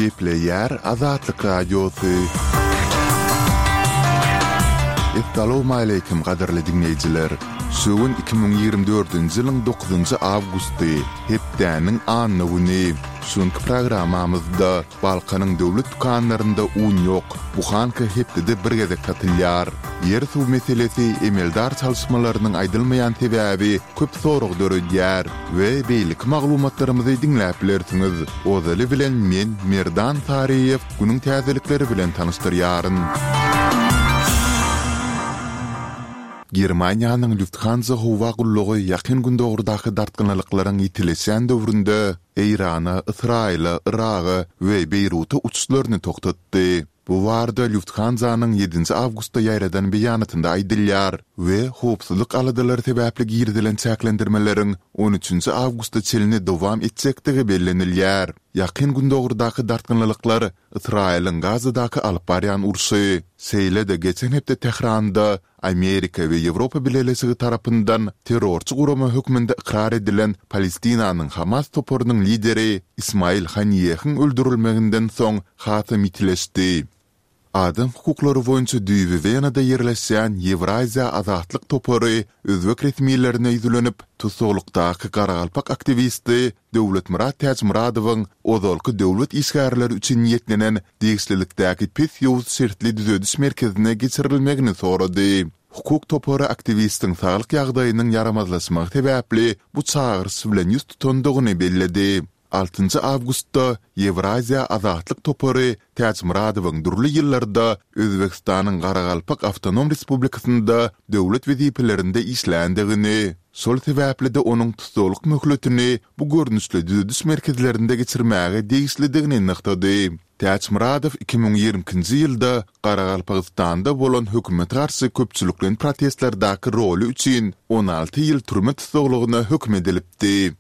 Gepleýär Azatlyk Radiosy. Essalawmaleýkim gadyrly diňleýjiler! Şu gün 2024-nji ýylyň dokuzynjy awgusty, hepdäniň anna güni. Şu günki programmamyzda Balkanyň döwlet dükanlarynda un ýok, buhanka hepdede bir gezek satylýar. Ýer-suw meselesi emeldar çalyşmalarynyň aýdylmaýan sebäbi köp sorag döredýär we beýleki maglumatlarymyzy diňläp bilersiňiz. Ozaly bilen men Merdan Saryýew günüň täzelikleri bilen tanyşdyrýaryn. Germaniýanyň Lufthansa howa gullugy Ýakyn Gündogardaky dartgynlylyklaryň ýitileşýän döwründe Eýrana, Ysraýyla, Yraga we Beýruta uçuşlaryny togtatdy. Bu barada Lufthansa-nyň ýedinji awgustda ýaýradan beýanatynda aýdylýar we howpsuzlyk aladalary sebäpli girizilen çäklendirmeleriň on üçünji awgusta çenli dowam etjekdigi bellenilýär. Ýakyn Gündogardaky dartgynlylyklar Ysraýylyň Gazadaky alyp barýan urşy, şeýle-de geçen hepde Tähranda Amerika we Ýewropa Bileleşigi tarapyndan terrorçy gurama hökmünde ykrar edilen Palestinanyň Hamas toparynyň lideri Ismail Haniýehiň öldürilmeginden soň hasam ýitileşdi. Adam hukuklary boýunça düýbi Wenada ýerleşýän Ýewraziýa azatlyk topary özbek resmilerine ýüzlenip, tussaglykdaky garagalpak aktiwisti Döwletmyrat Täçmyradowyň ozalky döwlet işgärleri üçin niýetlenen degişlilikdäki pes ýowuz şertli düzediş merkezine geçirilmegini sorady. Hukuk topary aktiwistiň saglyk ýagdaýynyň ýaramazlaşmagy sebäpli bu çagyryş bilen ýüz tutandygyny belledi. Altynjy awgustda Ýewraziýa azatlyk topary Täçmyradowyň dürli ýyllarda Özbegistanyň Garagalpak awtonom respublikasynda döwlet wezipelerinde işländigini, şol sebäpli-de onuň tussaglyk möhletini bu görnüşli düzediş merkezlerinde geçirmäge degişlidigini nygtady. Täçmyradow 2022-nji ýylda Garagalpagystanda bolan hökümete garşy köpçülikleýin protestlerdäki roly üçin 16 ýyl türme tussaglygyna höküm edilipdi.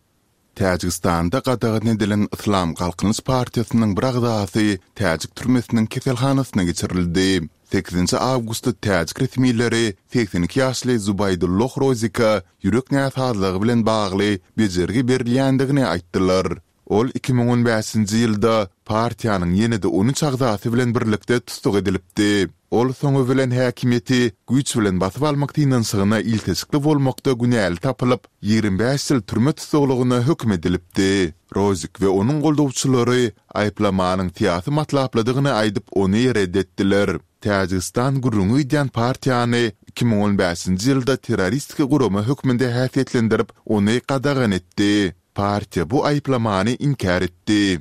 Täjigistanda gadagan edilen Yslam Galkynyş partiýasynyň bir agzasy täjik türmesiniň keselhanasyna geçirildi. Sekizinji awgustda täjik resmileri 82 ýaşly Zubaýdulloh Rozika ýürek näsazlygy bilen bagly bejergi berilýändigini aýtdylar. Ol 2015-nji ýylda partiýanyň ýene-de on üç agzasy bilen birlikde tussag edilipdi. Ol soňy bilen häkimiýeti güýç bilen basyp almak synanyşygyna ilteşikli bolmakda günäli tapylyp, 25 ýyl türme tussaglygyna höküm edilipdi. Rozik we onuň goldawçylary aýyplamanyň syýasy matlaplydygyny aýdyp, ony red etdiler. Täjigistan gürrüňi gidýän partiýany 2015-nji ýylda terroristik gurama hökmünde häsiýetlendirip, ony gadagan etdi. Partiýa bu aýyplamany inkär etdi.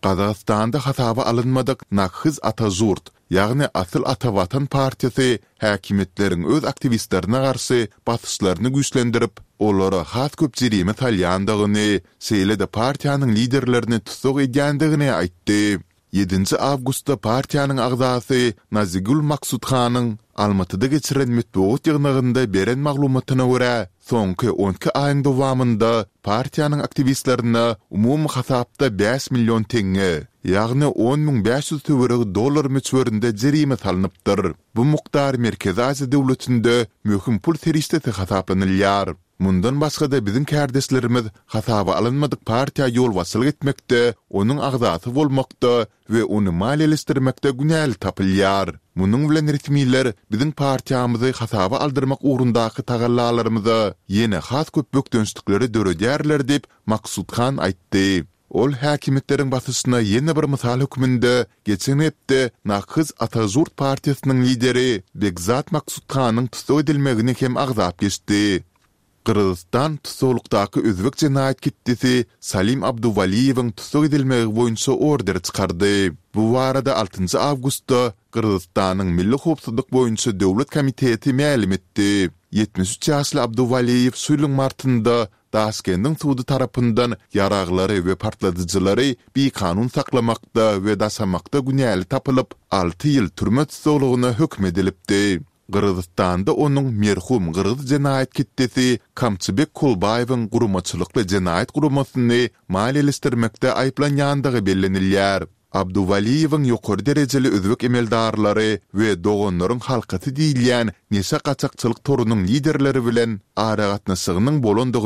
Gazagystanda hasaba alynmadyk Nakhyz Ata-Žurt, ýagny Asyl Ata Watan partiýasy häkimiýetleriň öz aktiwistlerine garşy basyşlaryny güýçlendirip, olara has köp jerime salýandygyny, şeýle-de partiýanyň liderlerini tussag edýändigini aýtdy. Ýedinji awgustda partiýanyň agzasy Nazigül Maksudhanyň Almatyda geçiren metbugat ýygnagynda beren maglumatyna görä, soňky on iki aýyň dowamynda partiýanyň aktiwistlerine umumy hasapda bäş million teňňe, ýagny 10 500 töweregi dollar möçberinde jerime salnypdyr. Bu mukdar Merkezi Aziýa döwletinde möhüm pul serişdesi hasaplanylýar. Mundan başga-da biziň kärdeşlerimiz hasaba alynmadyk partiýa ýolbaşçylyk etmekde, onuň agzasy bolmakda we ony maliýeleşdirmekde günäli tapylýar. Munuň bilen resmiler biziň partiýamyzy hasaba aldyrmak ugrundaky tagallalarymyza ýene has köp bökdençlikleri döredýärler diýip, Maksudhan aýtdy. Ol häkimiýetleriň basyşyna ýene bir mysal hökmünde geçen hepde Nakhyz Ata-Žurt partiýasynyň lideri Begzat Maksudhanyň tussag edilmegini hem agzap geçdi. Gyrgyzystan tussaglykdaky özbek jenaýat ketdesi Salim Abduwaliýewiň tussag edilmegi boýunça order çykardy. Bu barada altynjy awgustda Gyrgyzystanyň Milli howpsuzlyk boýunça döwlet komiteti mälim etdi. 73 ýaşly Abduwaliýew şu ýylyň martynda Daşkendiň sudy tarapyndan ýaraglary we partladyjylary bikanun saklamakda we daşamakda günäli tapylyp, alty ýyl türme tussaglygyna höküm edilipdi. Gyrgyzystanda onuň merhum gyrgyz jenaýat ketdesi Kamçybek Kolbaýewiň guramaçylykly jenaýat guramasyny maliýeleşdirmekde aýyplanýandygy bellenilýär. Abduwaliýewiň ýokary derejeli özbek emeldarlary we Doganlaryň halkasy diýilýän neşe gaçakçylyk torunyň liderleri bilen aragatnaşygynyň bolandygy.